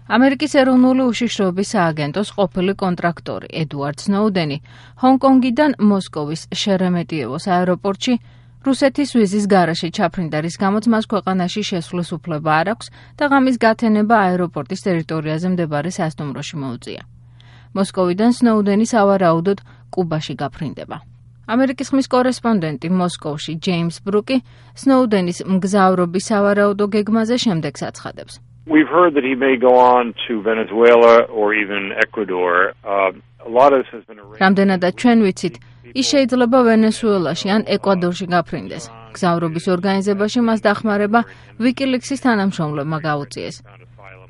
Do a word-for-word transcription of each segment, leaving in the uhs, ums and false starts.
ამერიკის ეროვნული უშიშროების სააგენტოს ყოფილი კონტრაქტორი ედუარდ სნოუდენი ჰონკონგიდან მოსკოვის შერემეტიევოს აეროპორტში რუსეთის ვიზის გარეშე ჩაფრინდა, რის გამოც მას ქვეყანაში შესვლის უფლება არ აქვს და ღამის გათენება აეროპორტის ტერიტორიაზე მდებარე სასტუმროში მოუწია. მოსკოვიდან სნოუდენი სავარაუდოდ კუბაში გაფრინდება. ამერიკის ხმის კორესპონდენტი მოსკოვში ჯეიმს ბრუკი სნოუდენის მგზავრობის სავარაუდო გეგმაზე შემდეგს აცხადებს. We've heard that he may go on to Venezuela or even Ecuador. Uh, a lot of this has been arranged. რამდენადაც ჩვენ ვიცით, ის შეიძლება ვენესუელაში ან ეკვადორში გაფრინდეს. გზავრობის ორგანიზებაში მას დახმარება ვიკილიქსის თანამშრომლებმა გაუწიეს.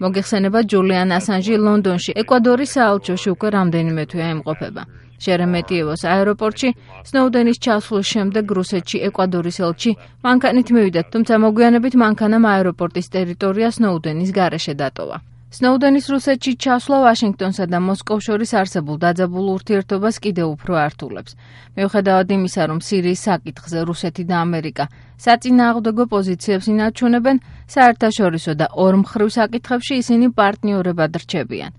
მოგეხსენება ჯულიან ასანჟი ლონდონში ეკვადორის საელჩოში უკვე რამდენიმე თვეა იმყოფება. შერემეტიევოს აეროპორტში სნოუდენის ჩასვლის შემდეგ რუსეთში ეკვადორის ელჩი მანქანით მივიდა, თუმცა მოგვიანებით მანქანამ აეროპორტის ტერიტორია სნოუდენის გარეშე დატოვა. სნოუდენის რუსეთში ჩასვლა ვაშინგტონსა და მოსკოვს შორის არსებულ დაძაბულ ურთიერთობას კიდევ უფრო ართულებს. მიუხედავად იმისა, რომ სირიის საკითხზე რუსეთი და ამერიკა საწინააღმდეგო პოზიციებს ინარჩუნებენ, საერთაშორისო და ორმხრივ საკითხებში ისინი პარტნიორებად რჩებიან.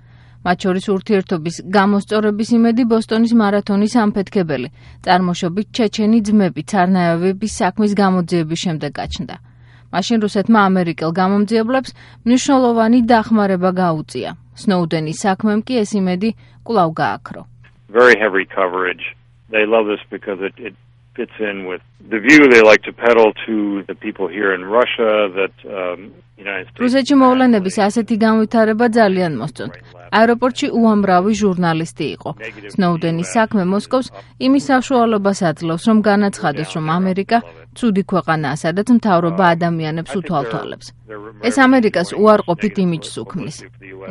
მათ შორის ურთიერთობის გამოსწორების იმედი ბოსტონის მარათონის ამფეთქებელი, წარმოშობით ჩეჩენი ძმები ცარნაევების საქმის გამოძიების შემდეგ გაჩნდა. მაშინ რუსეთმა ამერიკელ გამომძიებლებს მნიშვნელოვანი დახმარება გაუწია. სნოუდენის საქმემ კი ეს იმედი კვლავ გააქრო. Very heavy coverage. They love this because it, it fits in with the view they like to peddle to the people here in Russia that um, United States. რუსეთში მოვლენების ასეთი განვითარება ძალიან მოსწონთ. აეროპორტში უამრავი ჟურნალისტი იყო. სნოუდენის საქმე მოსკოვს იმის საშუალებას აძლევს, რომ განაცხადოს, რომ ამერიკა ცუდი ქვეყანაა, სადაც მთავრობა ადამიანებს უთვალთვალებს. ეს ამერიკას უარყოფით იმიჯს უქმნის.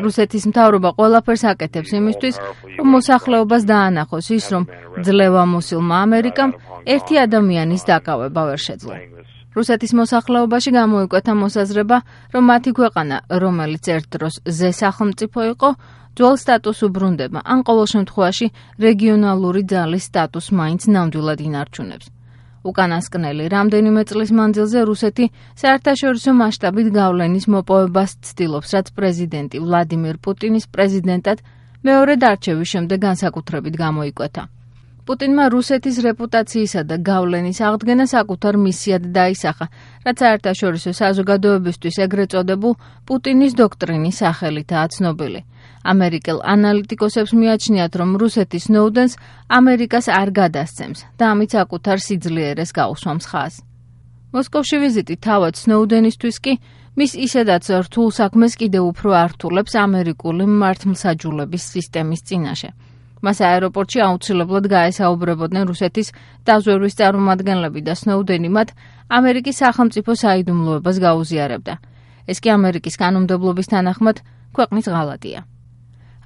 რუსეთის მთავრობა ყველაფერს აკეთებს იმისთვის, რომ მოსახლეობას დაანახოს ის, რომ ძლევამოსილმა ამერიკამ ერთი ადამიანის დაკავება ვერ შეძლო. რუსეთის მოსახლეობაში გამოიკვეთა მოსაზრება, რომ მათი ქვეყანა, რომელიც ერთ დროს ზე სახელმწიფო იყო, ძველ სტატუსს უბრუნდება, ან ყოველ შემთხვევაში რეგიონალური ძალის სტატუსს მაინც ნამდვილად ინარჩუნებს. უკანასკნელი რამდენიმე წლის მანძილზე რუსეთი საერთაშორისო მასშტაბით გავლენის მოპოვებას ცდილობს, რაც პრეზიდენტი ვლადიმირ პუტინის პრეზიდენტად მეორედ არჩევის შემდეგ განსაკუთრებით გამოიკვეთა. პუტინმა რუსეთის რეპუტაციისა და გავლენის აღდგენა საკუთარ მისიად დაისახა, რაც საერთაშორისო საზოგადოებისთვის ეგრეთ წოდებულ პუტინის დოქტრინის სახელითაა ცნობილი. ამერიკელ ანალიტიკოსებს მიაჩნიათ, რომ რუსეთი სნოუდენს ამერიკას არ გადასცემს და ამით საკუთარ სიძლიერეს გაუსვამს ხაზს. მოსკოვში ვიზიტი თავად სნოუდენისთვის კი მის ისედაც რთულ საქმეს კიდევ უფრო ართულებს ამერიკული მართლმსაჯულების სისტემის წინაშე. მას აეროპორტში აუცილებლად გაესაუბრებოდნენ რუსეთის დაზვერვის წარმომადგენლები და სნოუდენი მათ ამერიკის სახელმწიფო საიდუმლოებას გაუზიარებდა. ეს კი ამერიკის კანონმდებლობის თანახმად ქვეყნის ღალატია.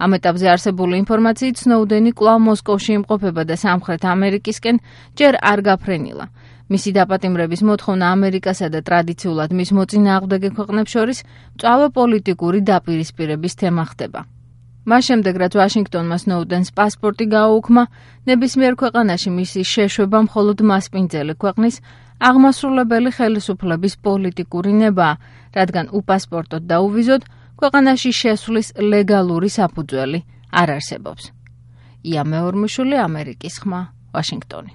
ამ ეტაპზე არსებული ინფორმაციით სნოუდენი კვლავ მოსკოვში იმყოფება და სამხრეთ ამერიკისკენ ჯერ არ გაფრენილა. მისი დაპატიმრების მოთხოვნა ამერიკასა და ტრადიციულად მის მოწინააღმდეგე ქვეყნებს შორის მწვავე პოლიტიკური დაპირისპირების თემა ხდება. მას შემდეგ, რაც ვაშინგტონმა სნოუდენს პასპორტი გააუქმა, ნებისმიერ ქვეყანაში მისი შეშვება მხოლოდ მასპინძელი ქვეყნის აღმასრულებელი ხელისუფლების პოლიტიკური ნებაა, რადგან უპასპორტოდ და უვიზოდ ქვეყანაში შესვლის ლეგალური საფუძველი არ არსებობს. ია მეორმიშვილი, ამერიკის ხმა, ვაშინგტონი.